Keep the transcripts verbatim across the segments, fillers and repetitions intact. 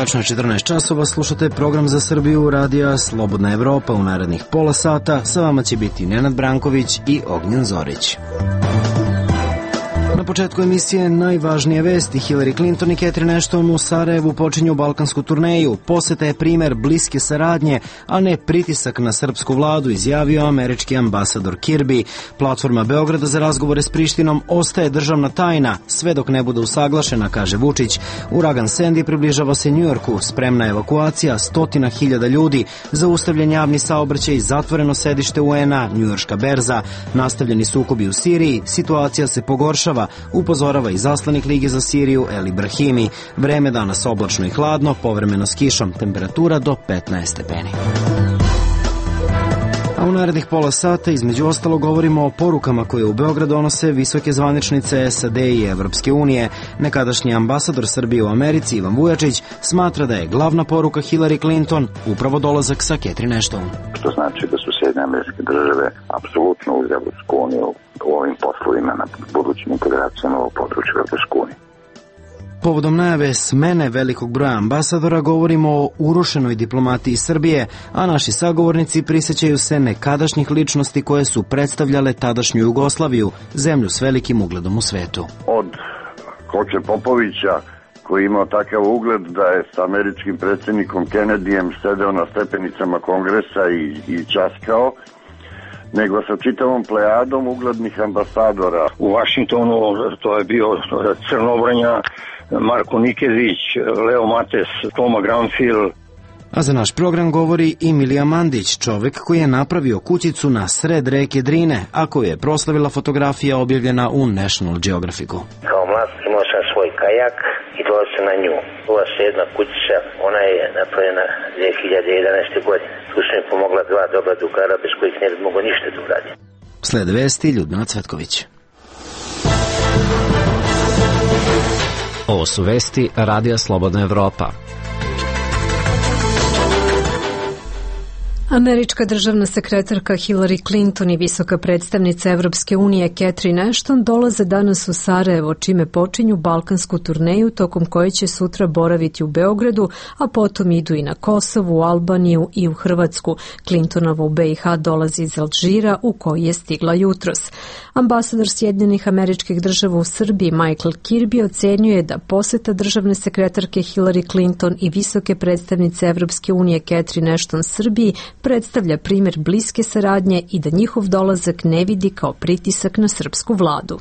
Tačno četrnaest časova, slušate program za Srbiju radija Slobodna Evropa. U narednih pola sata sa vama će biti Nenad Branković i Ognjen Zorić. Na početku emisije najvažnije vesti. Hillary Clinton i Catherine Ashton u Sarajevu počinju balkansku turneju. Poseta je primer bliske saradnje, a ne pritisak na srpsku vladu, izjavio američki ambasador Kirby. Platforma Beograda za razgovore s Prištinom ostaje državna tajna, sve dok ne bude usaglašena, kaže Vučić. Uragan Sandy približava se Njujorku, spremna evakuacija stotina hiljada ljudi, zaustavljen javni saobraćaj, zatvoreno sedište U N-a, njujorška berza, nastavljeni sukobi u Siriji, situacija se pogoršava, upozorava i zaslanik Lige za Siriju Eli Brahimi. Vreme danas oblačno i hladno, povremeno s kišom, temperatura do petnaest stepeni. A u narednih pola sata između ostalo govorimo o porukama koje u Beograd donose visoke zvaničnice S A D i Evropske unije. Nekadašnji ambasador Srbije u Americi Ivan Vujačić smatra da je glavna poruka Hillary Clinton upravo dolazak sa Catherine Ashton. Što znači da su Sjedinjene Američke Države apsolutno uz Evropsku uniju u ovim poslovima na budućim integracijama u području Evropske unije. Povodom najave smene velikog broja ambasadora govorimo o urušenoj diplomatiji Srbije, a naši sagovornici prisjećaju se nekadašnjih ličnosti koje su predstavljale tadašnju Jugoslaviju, zemlju s velikim ugledom u svetu. Od Koče Popovića, koji je imao takav ugled da je s američkim predsjednikom Kennedyjem sedeo na stepenicama kongresa i, i časkao, nego sa čitavom plejadom uglednih ambasadora. U Vašingtonu to je bio Crnobranja, Marko Nikezić, Leo Mates, Toma Granfil. A za naš program govori i Milija Mandić, čovek koji je napravio kućicu na sred reke Drine, a koju je proslavila fotografija objavljena u National Geographicu. Kao mlad imao sam svoj kajak i dolazio se na nju. Ova se jedna kućica, ona je napravljena dve hiljade jedanaeste. godine. Tu su mi pomogla dva dobra drugara bez kojih ne bi mogo ništa da uradim. Slede vesti Ljudmila Cvetković. Ovo su vesti Radija Slobodna Evropa. Američka državna sekretarka Hillary Clinton i visoka predstavnica Evropske unije Catherine Ashton dolaze danas u Sarajevo, čime počinju balkansku turneju tokom koje će sutra boraviti u Beogradu, a potom idu i na Kosovo, u Albaniju i u Hrvatsku. Clintonova u B i H dolazi iz Alžira, u koji je stigla jutros. Ambasador Sjedinjenih Američkih Država u Srbiji Michael Kirby ocenjuje da poseta državne sekretarke Hillary Clinton i visoke predstavnice Evropske unije Catherine Ashton Srbiji predstavlja primjer bliske saradnje i da njihov dolazak ne vidi kao pritisak na srpsku vladu.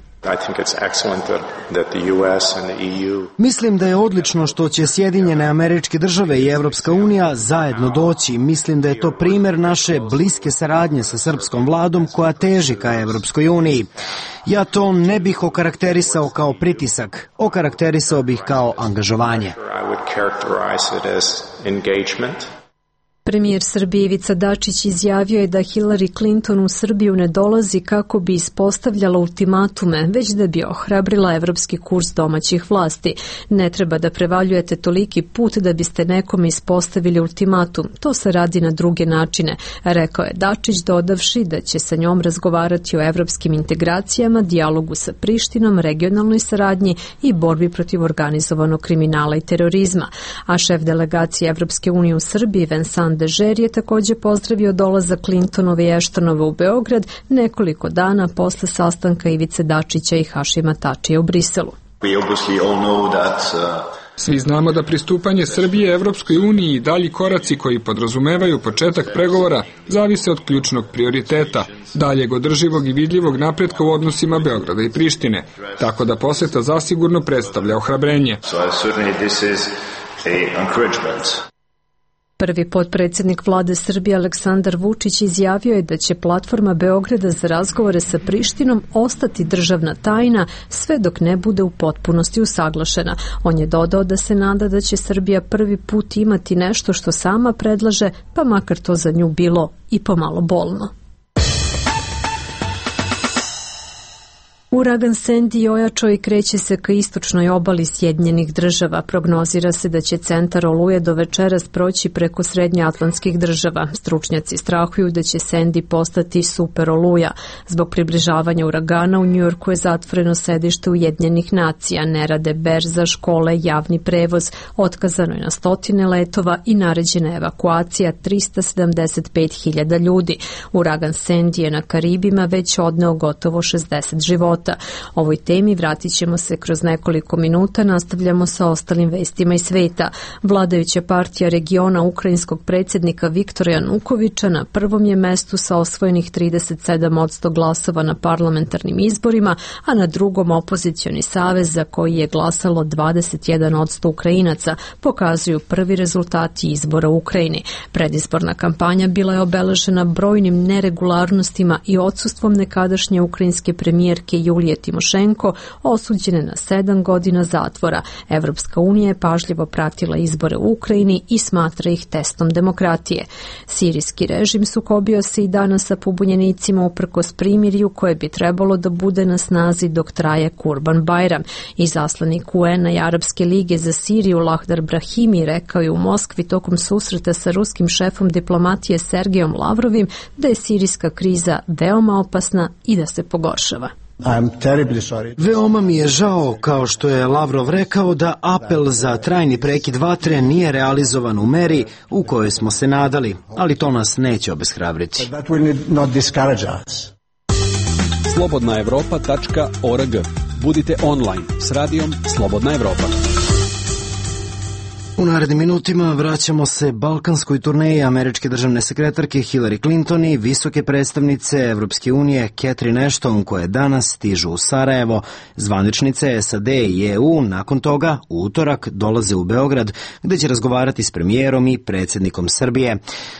Mislim da je odlično što će Sjedinjene Američke Države i Evropska unija zajedno doći. Mislim da je to primjer naše bliske saradnje sa srpskom vladom koja teži ka Evropskoj uniji. Ja to ne bih okarakterisao kao pritisak, okarakterisao bih kao angažovanje. Premijer Srbije Ivica Dačić izjavio je da Hillary Clinton u Srbiju ne dolazi kako bi ispostavljala ultimatume, već da bi ohrabrila evropski kurs domaćih vlasti. Ne treba da prevaljujete toliki put da biste nekome ispostavili ultimatum. To se radi na druge načine, rekao je Dačić, dodavši da će sa njom razgovarati o evropskim integracijama, dijalogu sa Prištinom, regionalnoj saradnji i borbi protiv organizovanog kriminala i terorizma. A šef delegacije Evropske unije u Srbiji Vincent Dežer je također pozdravio dolazak Clintonove i Ashtonove u Beograd nekoliko dana posle sastanka Ivice Dačića i Hašima Tačija u Briselu. Svi znamo da pristupanje Srbije Evropskoj uniji i dalji koraci koji podrazumevaju početak pregovora zavise od ključnog prioriteta, daljeg održivog i vidljivog napretka u odnosima Beograda i Prištine, tako da poseta zasigurno predstavlja ohrabrenje. Prvi potpredsjednik vlade Srbije Aleksandar Vučić izjavio je da će platforma Beograda za razgovore sa Prištinom ostati državna tajna sve dok ne bude u potpunosti usaglašena. On je dodao da se nada da će Srbija prvi put imati nešto što sama predlaže, pa makar to za nju bilo i pomalo bolno. Uragan Sandy ojačao i kreće se ka istočnoj obali Sjedinjenih država. Prognozira se da će centar oluje do večeras proći preko srednjoatlantskih država. Stručnjaci strahuju da će Sandy postati super oluja. Zbog približavanja uragana u Njujorku je zatvoreno sedište Ujedinjenih nacija, ne rade berza, škole, javni prevoz, otkazano je na stotine letova i naređena evakuacija trista sedamdeset pet hiljada ljudi. Uragan Sandy je na Karibima već odneo gotovo šezdeset života. Ovoj temi vratit ćemo se kroz nekoliko minuta, nastavljamo sa ostalim vestima iz sveta. Vladajuća partija regiona ukrajinskog predsjednika Viktora Janukovića na prvom je mestu sa osvojenih trideset sedam posto glasova na parlamentarnim izborima, a na drugom opozicioni savez za koji je glasalo dvadeset jedan posto Ukrajinaca, pokazuju prvi rezultati izbora u Ukrajini. Predizborna kampanja bila je obeležena brojnim neregularnostima i odsustvom nekadašnje ukrajinske premijerke Julije Timošenko, osuđene na sedam godina zatvora. Evropska unija je pažljivo pratila izbore u Ukrajini i smatra ih testom demokratije. Sirijski režim sukobio se i danas sa pobunjenicima uprkos primirju koje bi trebalo da bude na snazi dok traje Kurban Bajram. Izaslanik U N-a i Arapske lige za Siriju Lahdar Brahimi rekao je u Moskvi tokom susreta sa ruskim šefom diplomatije Sergejom Lavrovim da je sirijska kriza veoma opasna i da se pogoršava. Veoma mi je žao, kao što je Lavrov rekao, da apel za trajni prekid vatre nije realizovan u meri u kojoj smo se nadali, ali to nas neće obeshrabriti. slobodna evropa tačka org. Budite online s radijom Slobodna Evropa. U narednim minutima vraćamo se balkanskoj turneji američke državne sekretarke Hillary Clinton i visoke predstavnice Evropske unije Catherine Ashton, koje danas stižu u Sarajevo. Zvaničnice S A D i E U nakon toga u utorak dolaze u Beograd, gde će razgovarati s premijerom i predsjednikom Srbije.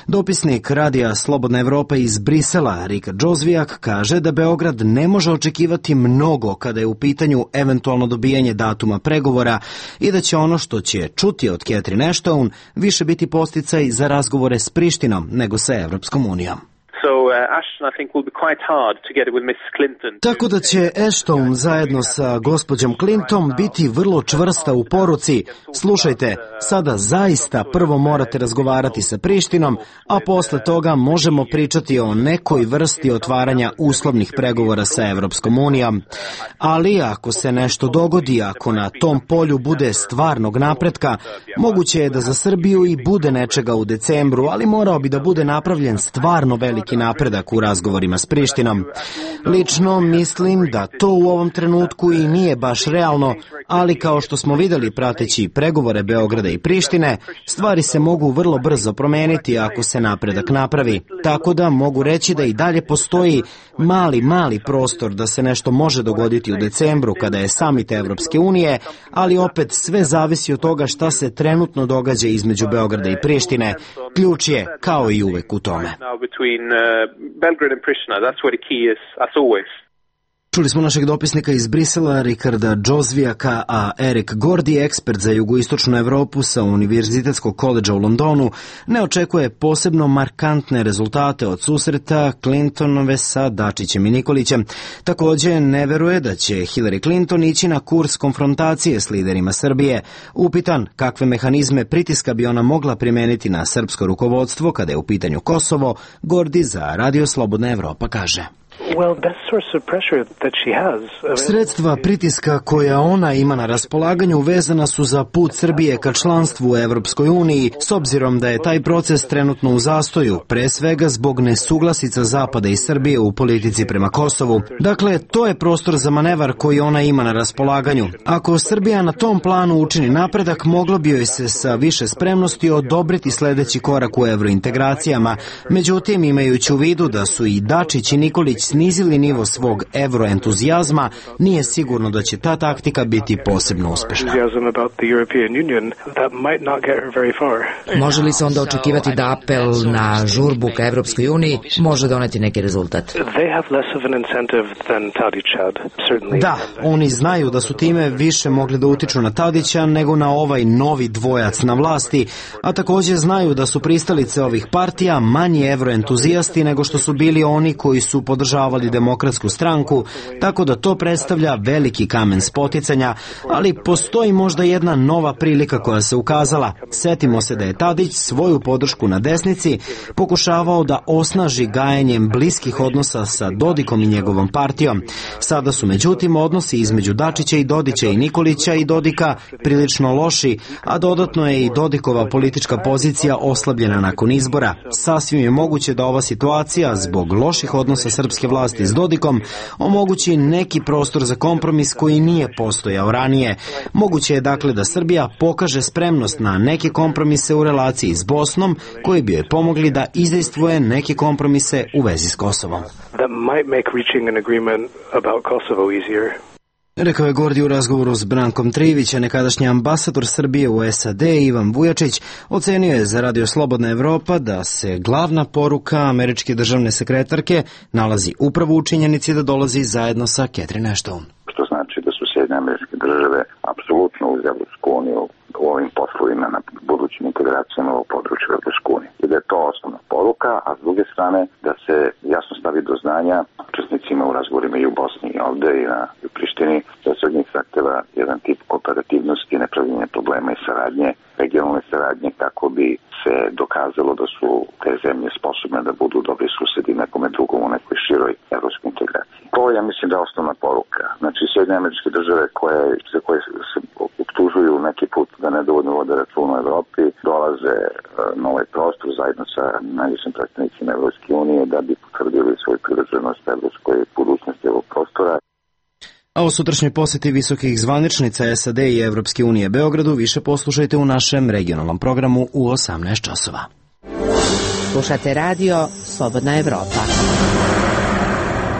Dopisnik radija Slobodna Evropa iz Brisela, Rika Džozvijak, kaže da Beograd ne može očekivati mnogo kada je u pitanju eventualno dobijanje datuma pregovora i da će ono što će čuti od Catherine Ashton više biti posticaj za razgovore s Prištinom nego sa Evropskom unijom. Tako da će Ashton zajedno sa gospođom Clinton biti vrlo čvrsta u poruci: slušajte, sada zaista prvo morate razgovarati sa Prištinom, a posle toga možemo pričati o nekoj vrsti otvaranja uslovnih pregovora sa Evropskom unijom. Ali ako se nešto dogodi, ako na tom polju bude stvarnog napretka, moguće je da za Srbiju i bude nečega u decembru, ali morao bi da bude napravljen stvarno veliki napredak u razgovorima s Prištinom. Lično mislim da to u ovom trenutku i nije baš realno, ali kao što smo videli prateći pregovore Beograda i Prištine, stvari se mogu vrlo brzo promeniti ako se napredak napravi. Tako da mogu reći da i dalje postoji mali, mali prostor da se nešto može dogoditi u decembru kada je samit Evropske unije, ali opet sve zavisi od toga šta se trenutno događa između Beograda i Prištine. Ključ je, kao i uvek, u tome. Belgrade and Pristina, that's where the key is, as always. Čuli smo našeg dopisnika iz Brisela, Rikarda Džozvijaka, a Erik Gordi, ekspert za jugoistočnu Evropu sa Univerzitetskog koledža u Londonu, ne očekuje posebno markantne rezultate od susreta Clintonove sa Dačićem i Nikolićem. Također ne veruje da će Hillary Clinton ići na kurs konfrontacije s liderima Srbije. Upitan kakve mehanizme pritiska bi ona mogla primeniti na srpsko rukovodstvo kada je u pitanju Kosovo, Gordi za Radio Slobodna Evropa kaže: Sredstva pritiska koja ona ima na raspolaganju vezana su za put Srbije ka članstvu u Evropskoj uniji, s obzirom da je taj proces trenutno u zastoju, pre svega zbog nesuglasica Zapada i Srbije u politici prema Kosovu. Dakle, to je prostor za manevar koji ona ima na raspolaganju. Ako Srbija na tom planu učini napredak, moglo bi joj se sa više spremnosti odobriti sledeći korak u evrointegracijama. Međutim, imajući u vidu da su i Dačić i Nikolić snizili nivo svog evroentuzijazma, nije sigurno da će ta taktika biti posebno uspešna. Može li se onda očekivati da apel na žurbu ka Evropskoj uniji može doneti neki rezultat? Da, oni znaju da su time više mogli da utiču na Tadića nego na ovaj novi dvojac na vlasti, a također znaju da su pristalice ovih partija manji evroentuzijasti nego što su bili oni koji su podržavali urušavali Demokratsku stranku, tako da to predstavlja veliki kamen spoticanja, ali postoji možda jedna nova prilika koja se ukazala. Setimo se da je Tadić svoju podršku na desnici pokušavao da osnaži gajenjem bliskih odnosa sa Dodikom i njegovom partijom. Sada su međutim odnosi između Dačića i Dodića i Nikolića i Dodika prilično loši, a dodatno je i Dodikova politička pozicija oslabljena nakon izbora. Sasvim je moguće da ova situacija, zbog loših odnosa srpske vlasti s Dodikom, omogući neki prostor za kompromis koji nije postojao ranije. Moguće je dakle da Srbija pokaže spremnost na neke kompromise u relaciji s Bosnom, koji bi joj pomogli da izdejstvuje neke kompromise u vezi s Kosovom. Rekao je Gordi u razgovoru s Brankom Trivića. Nekadašnji ambasador Srbije u S A D Ivan Vujačić ocenio je za Radio Slobodna Evropa da se glavna poruka američke državne sekretarke nalazi upravo u činjenici da dolazi zajedno sa Catherine Ashton. Što znači da su Sjedinjene Američke Države apsolutno uz Evropsku uniju u ovim poslovima na budućim integracijama u području Evropske unije. I da je to osnovna poruka, a s druge strane da se jasno stavi do znanja učesnicima u razgovorima i u Bosni i ovde i na i u Prištini, da se od njih zahteva jedan tip operativnosti, nepravljenja problema i saradnje, regionalne saradnje, kako bi se dokazalo da su te zemlje sposobne da budu dobri susedi nekome drugom u nekoj široj evropskoj integraciji. To ja mislim da je osnovna poruka. Znači, Sjedinjene Američke Države koje, koje se optužuju neki put da nedovoljno vode račun u Evropi, dolaze na ovaj prostor zajedno sa najvišim predstavnicima Evropske unije da bi potvrdili svoju privrženost evropskoj budućnosti ovog prostora. A o sutrašnjoj poseti visokih zvaničnica S A D i Evropske unije Beogradu više poslušajte u našem regionalnom programu u osamnaest časova. Slušate radio Slobodna Evropa.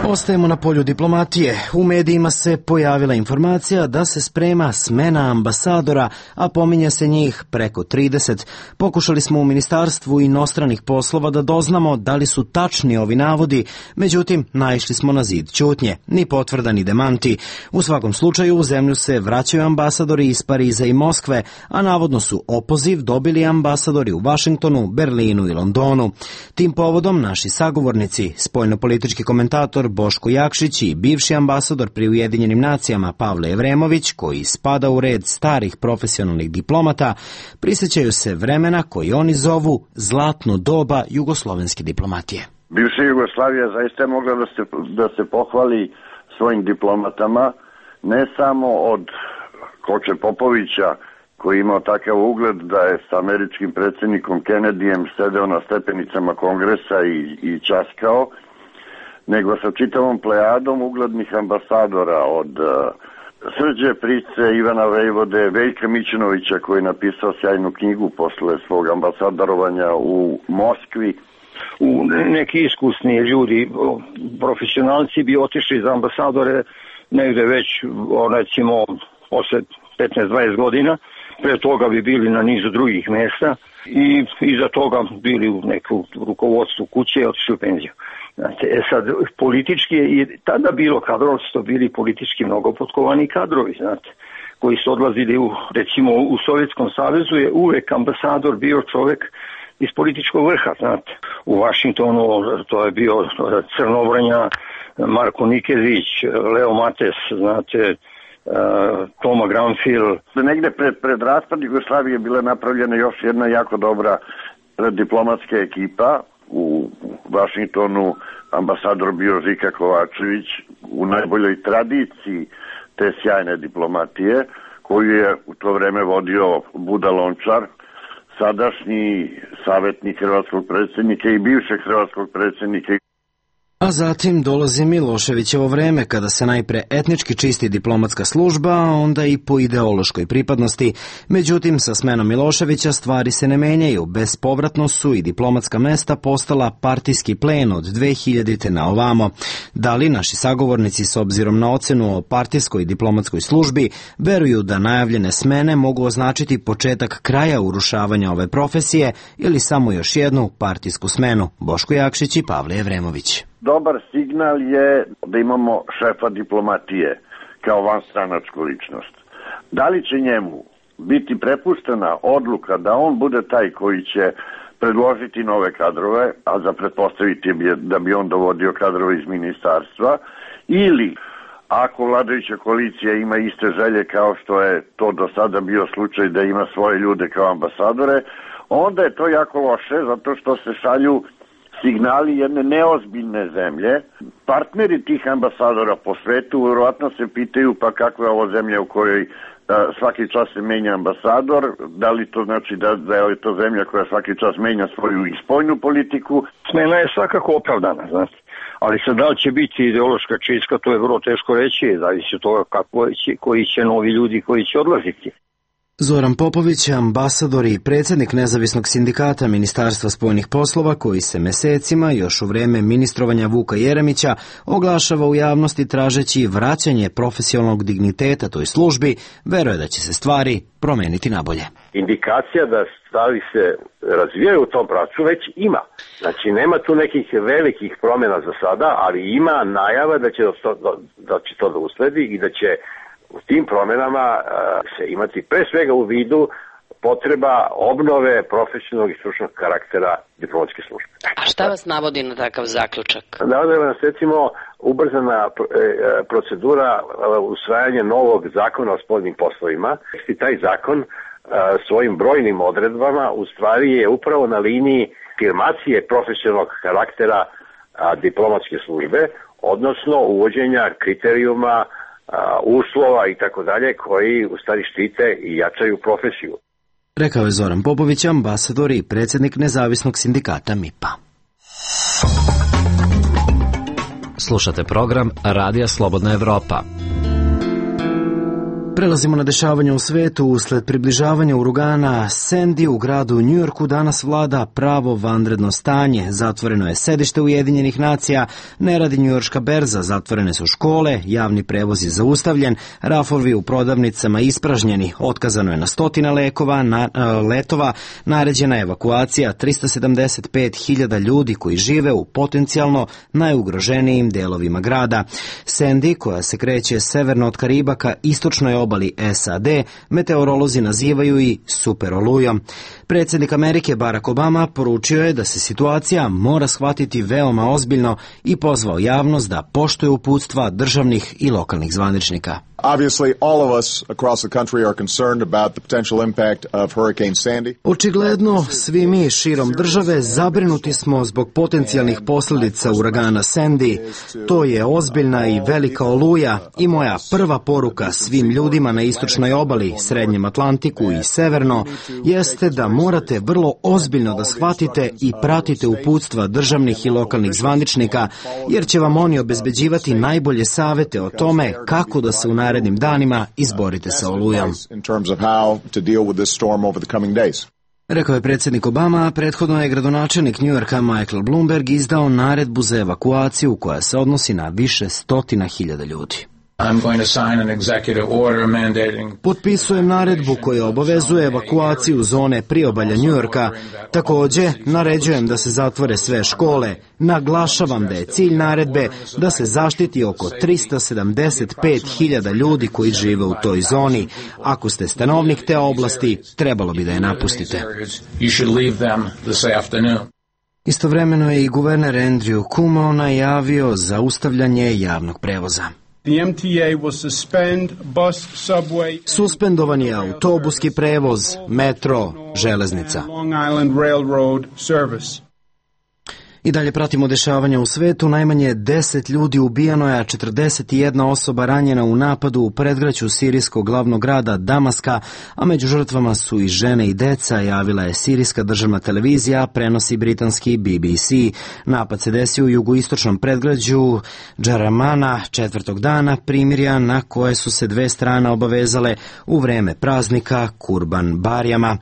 Ostajemo na polju diplomatije. U medijima se pojavila informacija da se sprema smena ambasadora, a pominje se njih preko trideset. Pokušali smo u Ministarstvu inostranih poslova da doznamo da li su tačni ovi navodi, međutim naišli smo na zid ćutnje, ni potvrda ni demanti. U svakom slučaju u zemlju se vraćaju ambasadori iz Pariza i Moskve, a navodno su opoziv dobili ambasadori u Vašingtonu, Berlinu i Londonu. Tim povodom naši sagovornici, spoljnopolitički komentator Boško Jakšić i bivši ambasador pri Ujedinjenim nacijama Pavle Evremović, koji spada u red starih profesionalnih diplomata, prisjećaju se vremena koji oni zovu zlatno doba jugoslovenske diplomatije. Bivša Jugoslavija zaista je mogla da se, da se pohvali svojim diplomatama, ne samo od Koče Popovića, koji je imao takav ugled da je sa američkim predsjednikom Kennedyjem sedeo na stepenicama Kongresa i, i časkao, nego sa čitavom plejadom uglednih ambasadora od uh, Srđe Price, Ivana Vejvode, Veljka Mićunovića, koji je napisao sjajnu knjigu posle svog ambasadorovanja u Moskvi. U neki iskusni ljudi, profesionalci bi otišli za ambasadore negde već, recimo, posle petnaest dvadeset godina. Pre toga bi bili na nizu drugih mesta i iza toga bili u neku rukovodstvu kuće i otišli u penziju. Znate, e sad, politički je i tada bilo kadrova, su to bili politički mnogo potkovani kadrovi, znate, koji su odlazili u, recimo, u Sovjetskom savezu je uvek ambasador bio čovek iz političkog vrha, znate. U Vašingtonu to je bio Crnobranja, Marko Nikezić, Leo Mates, znate, Uh, Toma Granfil. Negde pred, pred raspad Jugoslavije bila napravljena još jedna jako dobra diplomatska ekipa. U Vašingtonu ambasador bio Žika Kovačević, u najboljoj tradiciji te sjajne diplomatije, koju je u to vreme vodio Buda Lončar, sadašnji savjetnik hrvatskog predsjednika i bivšeg hrvatskog predsjednika. A zatim dolazi Miloševićevo vreme, kada se najpre etnički čisti diplomatska služba, a onda i po ideološkoj pripadnosti. Međutim, sa smenom Miloševića stvari se ne menjaju. Bespovratno su i diplomatska mesta postala partijski plen od dve hiljadite na ovamo. Da li naši sagovornici, s obzirom na ocenu o partijskoj diplomatskoj službi, veruju da najavljene smene mogu označiti početak kraja urušavanja ove profesije ili samo još jednu partijsku smenu? Boško Jakšić i Pavle Evremović. Dobar signal je da imamo šefa diplomatije kao vanstranačku ličnost. Da li će njemu biti prepuštena odluka da on bude taj koji će predložiti nove kadrove, a za pretpostaviti je da bi on dovodio kadrove iz ministarstva, ili ako vladajuća koalicija ima iste želje kao što je to do sada bio slučaj da ima svoje ljude kao ambasadore, onda je to jako loše zato što se šalju signali jedne neozbiljne zemlje. Partneri tih ambasadora po svetu verovatno se pitaju pa kakva je ovo zemlja u kojoj svaki čas se menja ambasador, da li to znači da, da je to zemlja koja svaki čas menja svoju spoljnu politiku. Smena je svakako opravdana, znači. Ali sad da li će biti ideološka čistka, to je vrlo teško reći, zavisi od toga kako će, koji će novi ljudi koji će odlaziti. Zoran Popović, ambasador i predsjednik nezavisnog sindikata Ministarstva spoljnih poslova, koji se mesecima, još u vreme ministrovanja Vuka Jeremića, oglašava u javnosti tražeći vraćanje profesionalnog digniteta toj službi, veruje da će se stvari promeniti nabolje. Indikacija da stvari se razvijaju u tom pravcu već ima. Znači nema tu nekih velikih promjena za sada, ali ima najava da će to, da će to da usledi i da će u tim promjenama uh, se imati pre svega u vidu potreba obnove profesionalnog i stručnog karaktera diplomatske službe. A šta vas navodi na takav zaključak? Navodi nas recimo ubrzana procedura usvajanja novog zakona o spoljnim poslovima. I taj zakon uh, svojim brojnim odredbama u stvari je upravo na liniji afirmacije profesionalnog karaktera uh, diplomatske službe, odnosno uvođenja kriterijuma uslova i tako dalje koji u stvari štite i jačaju profesiju. Rekao je Zoran Popović, ambasador i predsjednik nezavisnog sindikata M I P-a. Slušate program Radija Slobodna Evropa. Prelazimo na dešavanje u svetu. Usled približavanja uragana Sandy u gradu Njujorku danas vlada pravo vanredno stanje. Zatvoreno je sedište Ujedinjenih nacija, ne radi njujorška berza, zatvorene su škole, javni prevoz je zaustavljen, rafovi u prodavnicama ispražnjeni, otkazano je na stotina lekova, na, letova, naređena je evakuacija tristo sedamdeset pet hiljada ljudi koji žive u potencijalno najugroženijim delovima grada. Sandy, koja se kreće severno od Karibaka, istočno je obali S A D, meteorolozi nazivaju i super olujom. Predsjednik Amerike Barack Obama poručio je da se situacija mora shvatiti veoma ozbiljno i pozvao javnost da poštuje uputstva državnih i lokalnih zvaničnika. Obviously, all of us across the country are concerned about the potential impact of Hurricane Sandy. Očigledno, svi mi širom države zabrinuti smo zbog potencijalnih posljedica uragana Sandy. To je ozbiljna i velika oluja i moja prva poruka svim ljudima na istočnoj obali, Srednjem Atlantiku i severno jeste da morate vrlo ozbiljno da shvatite i pratite uputstva državnih i lokalnih zvaničnika, jer će vam oni obezbeđivati najbolje savete o tome kako da se u narednim danima izborite sa olujom. Rekao je predsjednik Obama, a prethodno je gradonačelnik Njujorka Michael Bloomberg izdao naredbu za evakuaciju koja se odnosi na više stotina hiljada ljudi. Potpisujem naredbu koja obavezuje evakuaciju zone priobalja Njujorka. Također, naređujem da se zatvore sve škole. Naglašavam da je cilj naredbe da se zaštiti oko tristo sedamdeset pet hiljada ljudi koji žive u toj zoni. Ako ste stanovnik te oblasti, trebalo bi da je napustite. Istovremeno je i guverner Andrew Cuomo najavio zaustavljanje javnog prevoza. The M T A will suspend bus, subway, suspendovan je autobuski prevoz, metro, železnica. Long Island Railroad service. I dalje pratimo dešavanja u svetu. Najmanje deset ljudi ubijano je, a četrdeset jedna osoba ranjena u napadu u predgrađu sirijskog glavnog grada Damaska, a među žrtvama su i žene i deca, javila je sirijska državna televizija, prenosi britanski B B C. Napad se desio u jugoistočnom predgrađu Džaramana četvrtog dana primirja na koje su se dve strane obavezale u vreme praznika Kurban Barijama.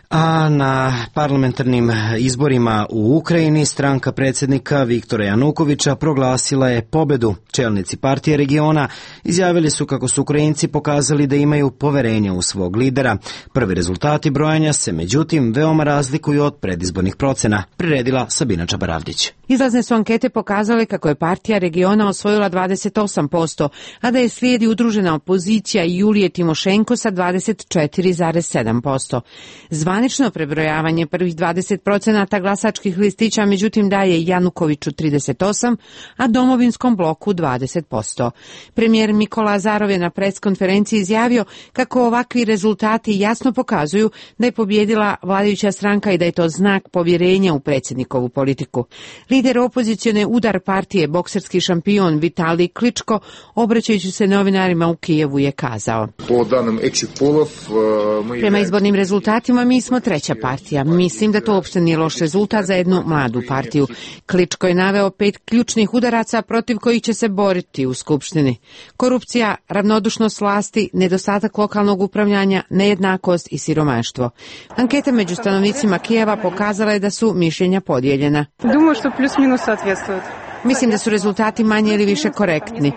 A na parlamentarnim izborima u Ukrajini stranka predsjednika Viktora Janukovića proglasila je pobedu. Čelnici partije regiona izjavili su kako su Ukrajinci pokazali da imaju poverenje u svog lidera. Prvi rezultati brojanja se međutim veoma razlikuju od predizbornih procena, priredila Sabina Čabaravdić. Izlazne su ankete pokazale kako je partija regiona osvojila dvadeset osam posto, a da je slijedi udružena opozicija Julije Timošenko sa dvadeset četiri zarez sedam posto. Zvan Zvanično prebrojavanje prvih dvadeset procenata glasačkih listića međutim daje Janukoviću trideset osam, a Domovinskom bloku dvadeset posto. Premijer Mikola Azarov je na preskonferenciji izjavio kako ovakvi rezultati jasno pokazuju da je pobjedila vladajuća stranka i da je to znak povjerenja u predsjednikovu politiku. Lider opozicione Udar partije, bokserski šampion Vitalij Kličko, obraćajući se novinarima u Kijevu, je kazao: Prema izbornim rezultatima mi smo treća partija. Mislim da to uopšte nije loš rezultat za jednu mladu partiju. Kličko je naveo pet ključnih udaraca protiv kojih će se boriti u Skupštini. Korupcija, ravnodušnost vlasti, nedostatak lokalnog upravljanja, nejednakost i siromaštvo. Anketa među stanovnicima Kijeva pokazala je da su mišljenja podijeljena. Думаю, что плюс-минус соответствует. Mislim da su rezultati manje ili više korektni.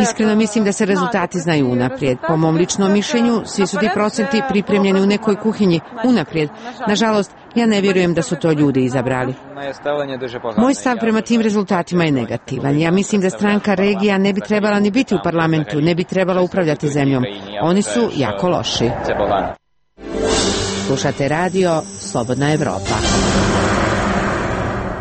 Iskreno mislim da se rezultati znaju unaprijed. Po mom ličnom mišljenju, svi su ti procenti pripremljeni u nekoj kuhinji unaprijed. Nažalost, ja ne vjerujem da su to ljudi izabrali. Moj stav prema tim rezultatima je negativan. Ja mislim da stranka regija ne bi trebala ni biti u parlamentu, ne bi trebala upravljati zemljom. Oni su jako loši. Slušate radio Slobodna Evropa.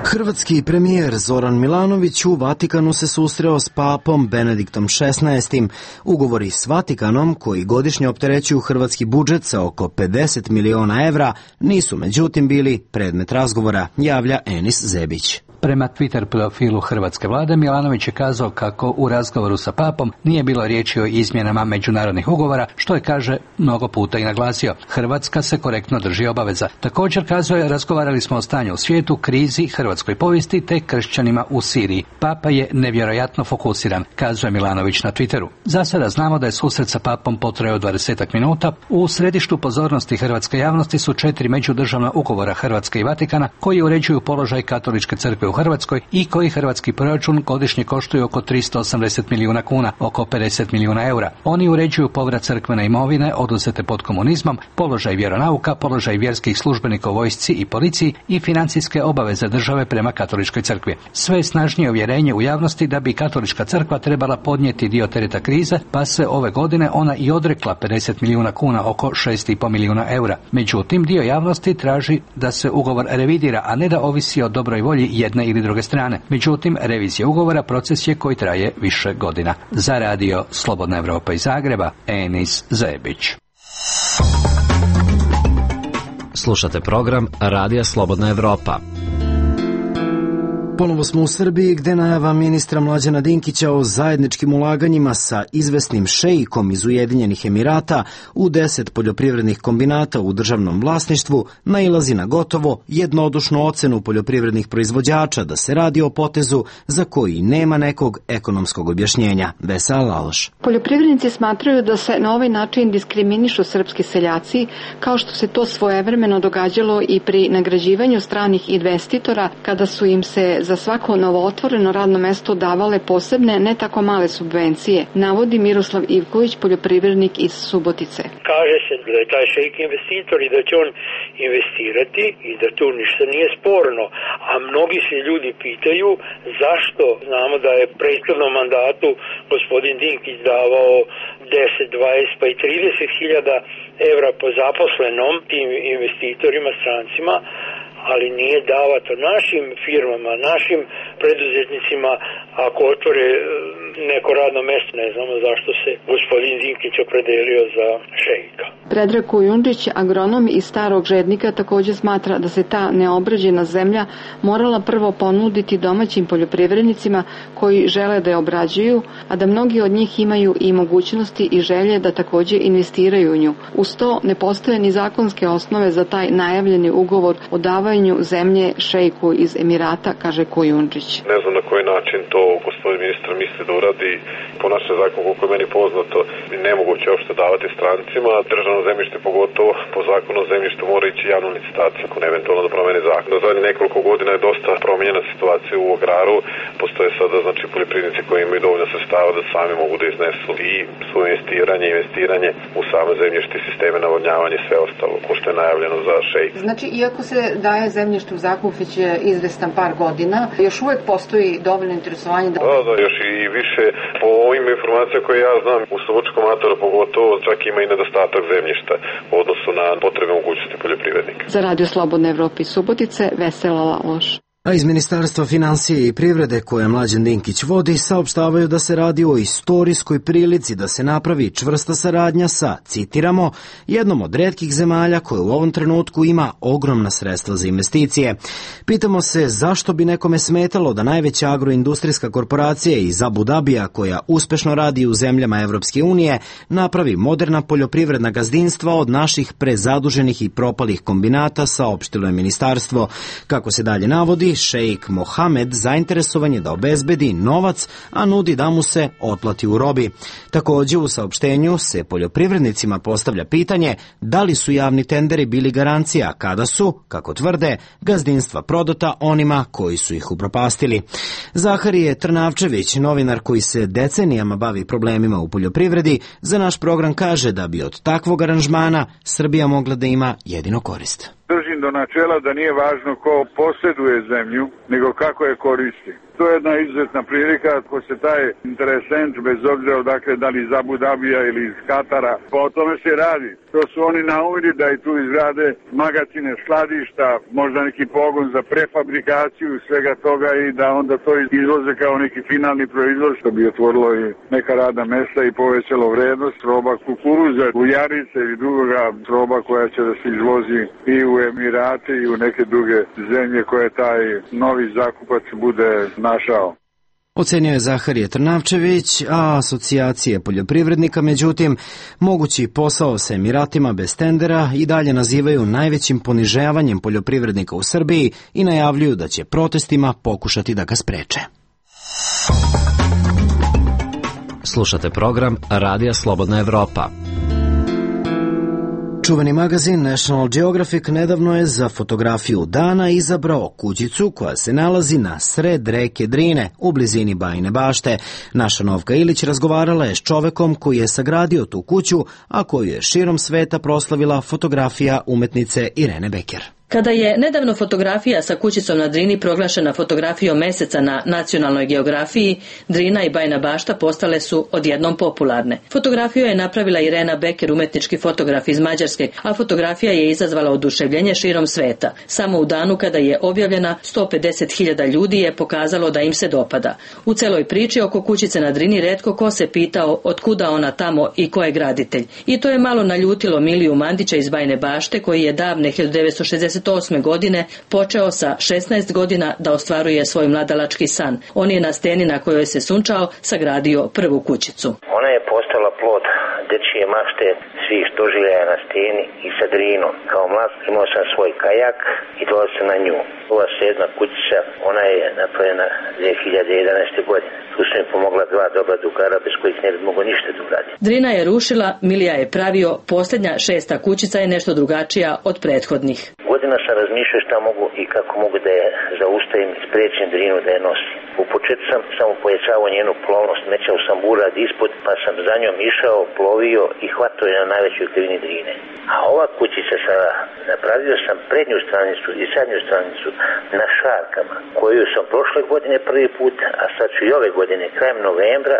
Hrvatski premijer Zoran Milanović u Vatikanu se susreo s papom Benediktom šesnaestim. Ugovori s Vatikanom, koji godišnje opterećuju hrvatski budžet sa oko pedeset miliona evra, nisu međutim bili predmet razgovora, javlja Enis Zebić. Prema Twitter profilu hrvatske vlade, Milanović je kazao kako u razgovoru sa papom nije bilo riječi o izmjenama međunarodnih ugovora, što je, kaže, mnogo puta i naglasio. Hrvatska se korektno drži obaveza. Također, kazao je, razgovarali smo o stanju u svijetu, krizi, hrvatskoj povijesti te kršćanima u Siriji. Papa je nevjerojatno fokusiran, kazuje Milanović na Twitteru. Za sada znamo da je susret sa papom potrajao dvadesetak minuta. U središtu pozornosti hrvatske javnosti su četiri međudržavna ugovora Hrvatske i Vatikana koji uređuju položaj katoličke crkve u Hrvatskoj i koji hrvatski proračun godišnje koštuju oko tristo osamdeset milijuna kuna, oko pedeset milijuna eura. Oni uređuju povrat crkvene imovine oduzete pod komunizmom, položaj vjeronauka, položaj vjerskih službenika u vojsci i policiji i financijske obaveze države prema katoličkoj crkvi. Sve snažnije uvjerenje u javnosti da bi katolička crkva trebala podnijeti dio tereta krize, pa se ove godine ona i odrekla pedeset milijuna kuna, oko šest i pol milijuna eura. Međutim, dio javnosti traži da se ugovor revidira, a ne da ovisi o dobroj volji jedne ili druge strane. Međutim, revizija ugovora proces je koji traje više godina. Za radio Slobodna Evropa iz Zagreba, Enis Zebić. Slušate program Radija Slobodna Evropa. Ponovo smo u Srbiji, gde najava ministra Mlađana Dinkića o zajedničkim ulaganjima sa izvesnim šeikom iz Ujedinjenih Emirata u deset poljoprivrednih kombinata u državnom vlasništvu nailazi na gotovo jednodušnu ocenu poljoprivrednih proizvođača da se radi o potezu za koji nema nekog ekonomskog objašnjenja. Vesa Laloš. Poljoprivrednici smatraju da se na ovaj način diskriminišu srpski seljaci, kao što se to svojevremeno događalo i pri nagrađivanju stranih investitora, kada su im se za svako novootvoreno radno mesto davale posebne, ne tako male subvencije, navodi Miroslav Ivković, poljoprivrednik iz Subotice. Kaže se da je taj šejk investitor i da će on investirati i da tu ništa nije sporno, a mnogi se ljudi pitaju zašto. Znamo da je prethodnom mandatu gospodin Dinkić davao deset, dvadeset pa i trideset hiljada evra po zaposlenom tim investitorima, strancima, ali nije davato našim firmama, našim preduzetnicima. Ako otvore neko radno mesto, ne znamo zašto se gospodin Dinkić opredelio za šejka. Predrag Kujundžić, agronom iz Starog Žednika, također smatra da se ta neobrađena zemlja morala prvo ponuditi domaćim poljoprivrednicima koji žele da je obrađuju, a da mnogi od njih imaju i mogućnosti i želje da također investiraju u nju. Uz to ne postoje ni zakonske osnove za taj najavljeni ugovor o davanju zemlje šejku iz Emirata, kaže Kujundžić. Ne znam na koji način to gospodin ministar misli da uradi. Po našem zakonu, koliko je meni poznato, nemoguće uopšte davati strancima. Državno zemljište, pogotovo po zakonu o zemljištu, mora ići javnu licitaciju, ako ne eventualno da promeni zakon. Do zadnjih nekoliko godina je dosta promijenjena situacija u agraru. Postoje sada, znači, poljoprivrednici koji imaju dovoljno sredstava da sami mogu da iznesu i svoje investiranje, investiranje u same zemljište, sisteme navodnjavanja i sve ostalo, ko što je najavljeno za šejk. Znači, iako se daje zemljište u zakup već izvestan par godina, još uvek postoji dovoljno interesovanje. Da, da, da još i više. Po ovim informacijama koje ja znam, u Slobodskom Ataru pogotovo čak ima i nedostatak zemljišta u odnosu na potrebe mogućnosti poljoprivrednika. Za Radio Slobodne Evrope iz Subotice, Vesela Laloš. A iz Ministarstva financije i privrede, koje Mlađan Dinkić vodi, saopštavaju da se radi o istorijskoj prilici da se napravi čvrsta saradnja sa, citiramo, jednom od retkih zemalja koje u ovom trenutku ima ogromna sredstva za investicije. Pitamo se zašto bi nekome smetalo da najveća agroindustrijska korporacija iz Abu Dabija, koja uspešno radi u zemljama Evropske unije, napravi moderna poljoprivredna gazdinstva od naših prezaduženih i propalih kombinata, saopštilo je ministarstvo. Kako se dalje navodi, šejk Mohamed zainteresovan je da obezbedi novac, a nudi da mu se otplati u robi. Takođe, u saopštenju se poljoprivrednicima postavlja pitanje da li su javni tenderi bili garancija kada su, kako tvrde, gazdinstva prodata onima koji su ih upropastili. Zaharije Trnavčević, novinar koji se decenijama bavi problemima u poljoprivredi, za naš program kaže da bi od takvog aranžmana Srbija mogla da ima jedino korist. Držim do načela da nije važno ko posjeduje zemlju, nego kako je koristi. To je jedna izuzetna prilika ako se taj interesent, bez obzira odakle, da li iz Abu Dabija ili iz Katara, pa o tome se radi. To su oni naumili da i tu izrade magacine, skladišta, možda neki pogon za prefabrikaciju svega toga i da onda to izvoze kao neki finalni proizvod, što bi otvorilo i neka radna mesta i povećalo vrednost roba kukuruza, ujarice ili drugoga roba koja će da se izvozi i u Emirate i u neke druge zemlje koje taj novi zakupac bude našao. Ocenio je Zaharije Trnavčević, a asocijacije poljoprivrednika, međutim, mogući posao sa Emiratima bez tendera i dalje nazivaju najvećim ponižavanjem poljoprivrednika u Srbiji i najavljuju da će protestima pokušati da ga spreče. Slušate program Radija Slobodna Evropa. Čuveni magazin National Geographic nedavno je za fotografiju dana izabrao kućicu koja se nalazi na sred reke Drine u blizini Bajine Bašte. Naša Novka Ilić razgovarala je s čovekom koji je sagradio tu kuću, a koju je širom sveta proslavila fotografija umetnice Irene Beker. Kada je nedavno fotografija sa kućicom na Drini proglašena fotografijom meseca na nacionalnoj geografiji, Drina i Bajina Bašta postale su odjednom popularne. Fotografiju je napravila Irena Beker, umetnički fotograf iz Mađarske, a fotografija je izazvala oduševljenje širom sveta. Samo u danu kada je objavljena, sto pedeset hiljada ljudi je pokazalo da im se dopada. U celoj priči oko kućice na Drini retko ko se pitao otkuda ona tamo i ko je graditelj. I to je malo naljutilo Miliju Mandića iz Bajine Bašte, koji je davne hiljadu devetsto šezdeset osme godine počeo sa šesnaest godina da ostvaruje svoj mladalački san. On je na steni na kojoj se sunčao sagradio prvu kućicu. Ona je postala plod dečije mašte svih doživljaja na steni i sa Drinom. Kao mlad imao sam svoj kajak i dolazio sam na nju. Ova sedma kućica, ona je napravljena dve hiljade jedanaeste. godine. Tu su mi pomogla dva dobra drugara bez kojih ne bi mogo ništa da uradim. Drina je rušila, Milija je pravio, posljednja šesta kućica je nešto drugačija od prethodnih. Godina sam razmišljao šta mogu i kako mogu da je zaustavim i sprečim Drinu da je nosim. U početku sam samo pojačavao njenu plovnost, mećao sam burad ispod, pa sam za njom išao, plovio i hvatao je na najvećoj krivini Drine. A ova kućica sada, napravio sam prednju stranicu i zadnju stranicu na šarkama, koju sam prošle godine prvi put, a sad ću i ove godine, krajem novembra,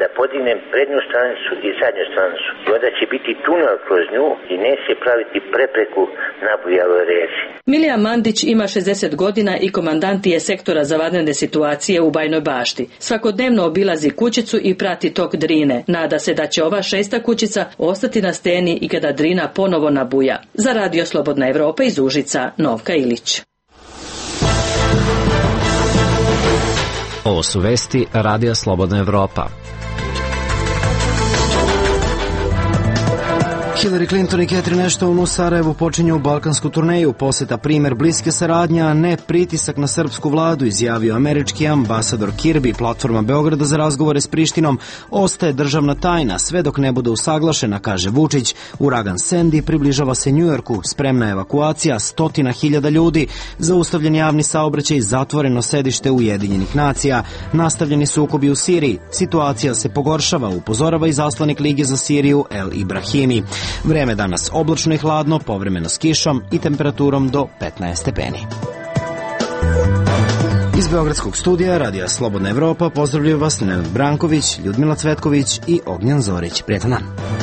da podignem prednju stranicu i zadnju stranicu. I onda će biti tunel kroz nju i neće praviti prepreku na bujaloj reci. Milija Mandić ima šezdeset godina i komandant je sektora za vanredne situacije u Bajinoj Bašti. Svakodnevno obilazi kućicu i prati tok Drine. Nada se da će ova šesta kućica ostati na steni i kada Drina ponovo nabuja. Za Radio Slobodna Evropa iz Užica, Novka Ilić. Ovo su vesti Radija Slobodna Evropa. Hillary Clinton i Catherine Ashton u Sarajevu počinju balkansku turneju. Poseta primer bliske saradnje, a ne pritisak na srpsku vladu, izjavio američki ambasador Kirby. Platforma Beograda za razgovore s Prištinom ostaje državna tajna sve dok ne bude usaglašena, kaže Vučić. Uragan Sandy približava se Njujorku, spremna evakuacija stotina hiljada ljudi, zaustavljen javni saobraćaj, zatvoreno sedište Ujedinjenih nacija, nastavljeni sukobi u Siriji, situacija se pogoršava, upozorava izaslanik Lige za Siriju El Ibrahimi. Vreme danas oblačno i hladno, povremeno s kišom i temperaturom do petnaest stepeni. Iz Beogradskog studija Radija Slobodna Evropa pozdravljaju vas Nenad Branković, Ljudmila Cvetković i Ognjan Zorić. Prijetan dan.